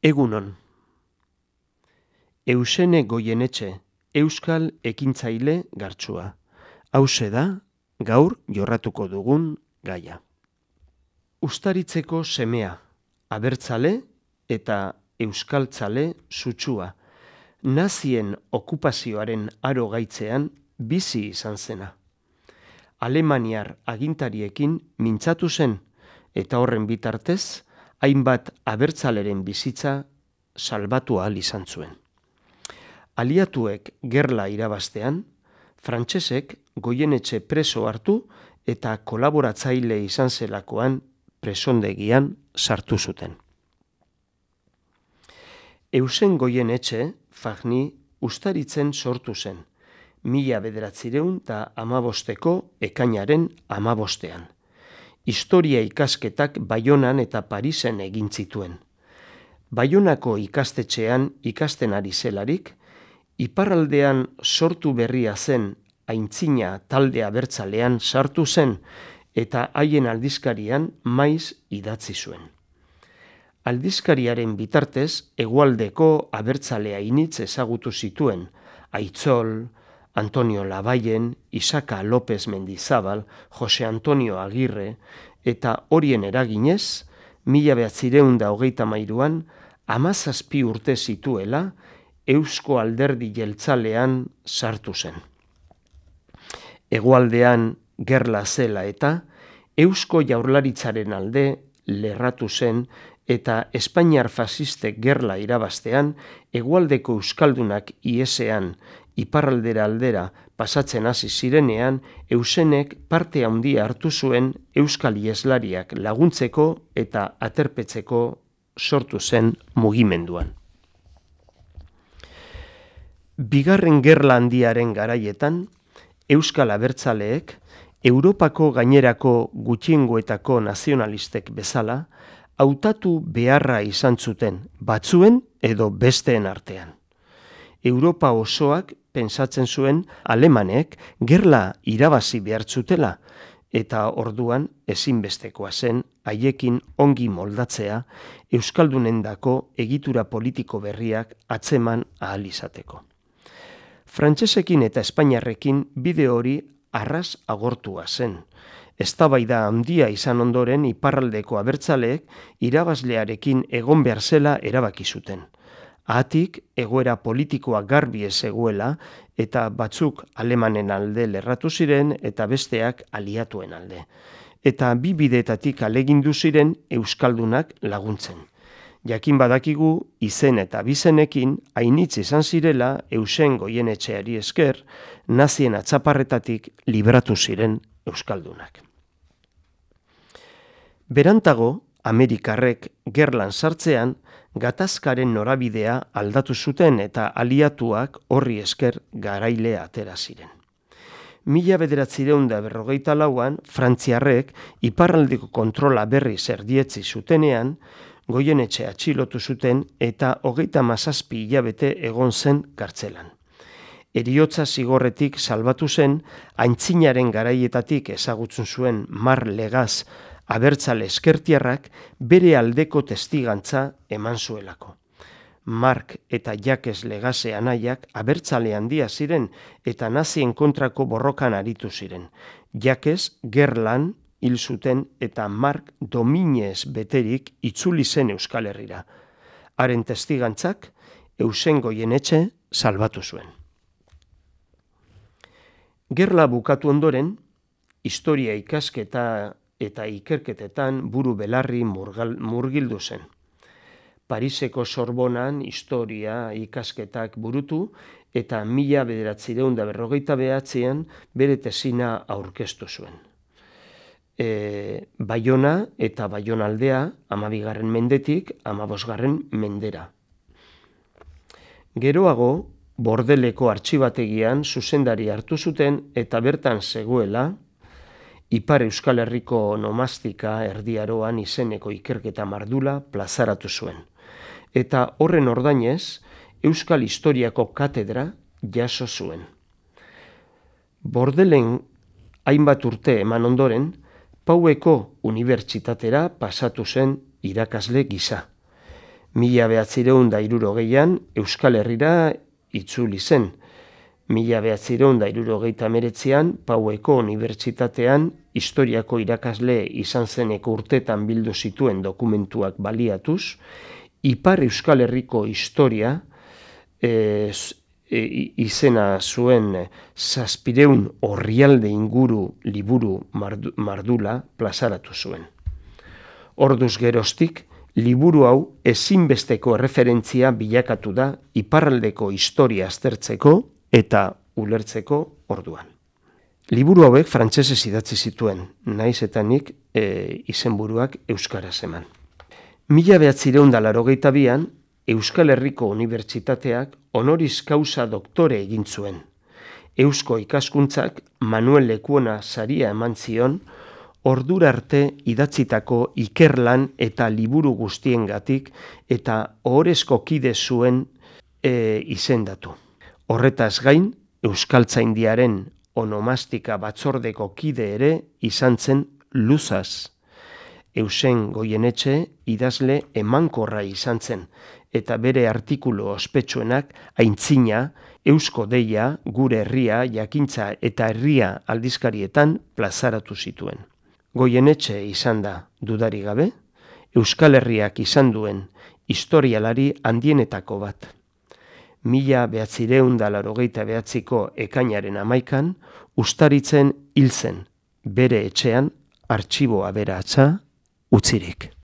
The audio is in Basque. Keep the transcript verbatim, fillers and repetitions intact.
Egunon. Eusene Goienetxe, euskal ekintzaile gartsua. Hauxe da, gaur jorratuko dugun gaia. Ustaritzeko semea, abertzale eta euskaltzale sutsua, nazien okupazioaren aro gaitzean bizi izan zena. Alemaniar agintariekin mintzatu zen, eta horren bitartez, hainbat abertzaleren bizitza salbatu ahal izan zuen. Aliatuek gerla irabaztean, frantsesek Goienetxe preso hartu eta kolaboratzaile izan zelakoan presondegian sartu zuten. Eusen Goienetxe, Fagni, Ustaritzen sortu zen, mila bederatziehun eta hamabosteko ekainaren hamabostean. Historia ikasketak Baionan eta Parisen egin zituen. Baionako ikastetxean ikasten ari zelarik, iparraldean sortu berria zen aintzina talde abertzalean sartu zen eta haien aldizkarian maiz idatzi zuen. Aldizkariaren bitartez, hegoaldeko abertzalea initz ezagutu zituen, Aitzol, Antonio Labayen, Isaka López Mendizabal, Jose Antonio Agirre, eta horien eraginez, mila bederatziehun eta hogeita hamairuan, hamazazpi urte zituela, Eusko Alderdi Jeltzalean sartu zen. Hegoaldean gerla zela eta Eusko Jaurlaritzaren alde lerratu zen eta Espainiar fasistek gerla irabaztean, hegoaldeko euskaldunak iesean iparraldera aldera pasatzen hasi zirenean, Eusenek parte handia hartu zuen euskal ieslariak laguntzeko eta aterpetzeko sortu zen mugimenduan. Bigarren gerla handiaren garaietan, euskal abertzaleek, Europako gainerako gutxiengoetako nazionalistek bezala, hautatu beharra izan zuten, batzuen edo besteen artean. Europa osoak pentsatzen zuen alemanek gerla irabazi behar zutela, eta orduan ezinbestekoa zen haiekin ongi moldatzea euskaldunendako egitura politiko berriak atzeman ahal izateko. Frantsesekin eta Espainiarrekin bide hori arras agortua zen. Eztabaida handia izan ondoren iparraldeko abertzaleek irabazlearekin egon behar zela erabaki zuten. Hatik egoera politikoa garbi ez zegoela eta batzuk alemanen alde lerratu ziren eta besteak aliatuen alde. Eta bi bideetatik alegindu ziren euskaldunak laguntzen. Jakin badakigu izen eta bizenekin ainitz izan zirela Eusen Goienetxeari esker nazien atzaparretatik libratu ziren euskaldunak. Berantago, Amerikarrek gerlan sartzean, gatazkaren norabidea aldatu zuten eta aliatuak horri esker garaile atera ziren. Mila bederatziehun eta berrogeita lauan, Frantziarrek iparraldeko kontrola berriz erdietzi zutenean, Goienetxe atxilotu zuten eta hogeita hamazazpi hilabete egon zen kartzelan. Heriotza zigorretik salbatu zen, aintzinaren garaietatik ezagutzen zuen Mar Legaz abertzale eskertiarrak bere aldeko testigantza eman zuelako. Mark eta Jakes Legase anaiak abertzale handia ziren eta nazien kontrako borrokan aritu ziren. Jakes gerlan hil zuten eta Mark dominez beterik itzuli zen Euskal Herrira. Haren testigantzak Eusen Goienetxe salbatu zuen. Gerla bukatu ondoren, historia ikasketa eta ikerketetan buru belarri murgildu zen. Pariseko Sorbonan historia ikasketak burutu eta mila bederatziehun eta berrogeita bederatzian bere tesina aurkeztu zuen. E, Baiona eta Baionaldea hamabigarren mendetik hamabosgarren mendera. Geroago, Bordeleko artxibategian zuzendari hartu zuten eta bertan zegoela Ipar Euskal Herriko nomastika erdiaroan izeneko ikerketa mardula plazaratu zuen. Eta horren ordainez, Euskal Historiako katedra jaso zuen. Bordelen hainbat urte eman ondoren, Paueko unibertsitatera pasatu zen irakasle gisa. Mila behatzireun da hirurogeian Euskal Herrira itzuli zen. Mila behatzireun da hirurogeita hemeretzian Paueko Unibertsitatean historiako irakasle izan zeneko urtetan bildu zituen dokumentuak baliatuz, Ipar Euskal Herriko historia e, e, izena zuen zazpireun orrialde inguru liburu mardu, mardula plazaratu zuen. Orduz geroztik, liburu hau ezinbesteko erreferentzia bilakatu da iparraldeko historia aztertzeko eta ulertzeko orduan. Liburu hauek frantsesez idatzi zituen, naiz eta nik e, izenburuak euskaraz eman. Mila behatzireun da laurogeita bian, Euskal Herriko Unibertsitateak honoris causa doktore egin zuen. Eusko ikaskuntzak Manuel Lekuona saria eman zion, ordura arte idatzitako ikerlan eta liburu guztiengatik eta ohorezko kide zuen e, izendatu. Horretaz gain, Euskaltzaindiaren onomastika batzordeko kide ere izan zen luzaz. Eusen Goienetxe idazle emankorra izan zen, eta bere artikulu ospetsuenak aintzina, Eusko Deia, Gure Herria, Jakintza eta Herria aldizkarietan plazaratu zituen. Goienetxe izan da, dudari gabe, Euskal Herriak izan duen historialari handienetako bat. Mila behatzireun da laurogeita behatziko ekainaren hamaikan, Ustaritzen hil zen, bere etxean artxibo aberatsa utzirik.